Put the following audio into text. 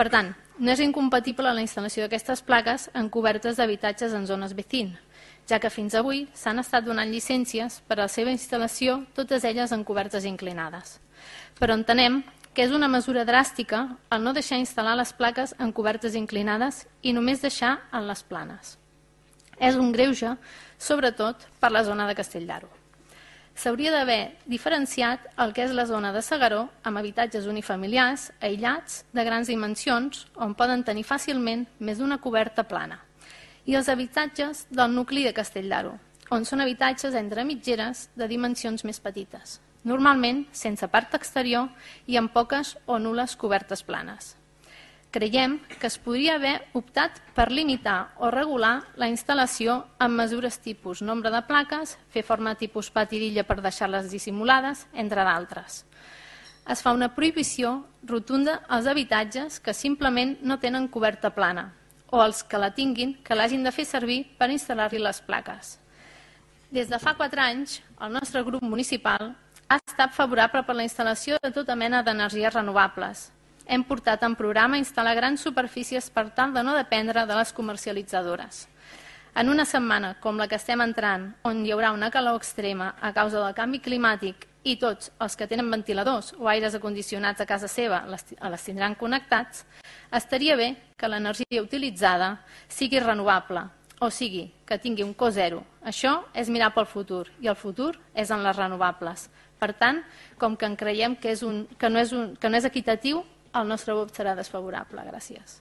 Per tant, no és incompatible la instal·lació d'aquestes plaques en cobertes d'habitatges en zones vecin, ja que fins avui s'han estat donant llicències per a la seva instal·lació, totes elles en cobertes inclinades. Però entenem que és una mesura dràstica el no deixar instal·lar les plaques en cobertes inclinades i només deixar en les planes. És un greuge, sobretot per la zona de Castell d'Aro. S'hauria d'haver diferenciat el que és la zona de S'Agaró amb habitatges unifamiliars aïllats de grans dimensions on poden tenir fàcilment més d'una coberta plana, i els habitatges del nucli de Castell d'Aro, on són habitatges entre mitgeres de dimensions més petites, normalment sense part exterior i amb poques o nul·les cobertes planes. Creiem que es podria haver optat per limitar o regular la instal·lació amb mesures tipus nombre de plaques, fer forma tipus pati d'illa per deixar-les dissimulades, entre d'altres. Es fa una prohibició rotunda als habitatges que simplement no tenen coberta plana o els que la tinguin que l'hagin de fer servir per instal·lar-hi les plaques. Des de fa 4 anys, el nostre grup municipal ha estat favorable per la instal·lació de tota mena d'energies renovables. Hem portat en programa instal·lar grans superfícies per tal de no dependre de les comercialitzadores. En una setmana com la que estem entrant, on hi haurà una calor extrema a causa del canvi climàtic i tots els que tenen ventiladors o aires acondicionats a casa seva les tindran connectats, estaria bé que l'energia utilitzada sigui renovable, o sigui, que tingui un cost zero. Això és mirar pel futur, i el futur és en les renovables. Per tant, com que en creiem que no és equitatiu, el nostre vot serà desfavorable. Gràcies.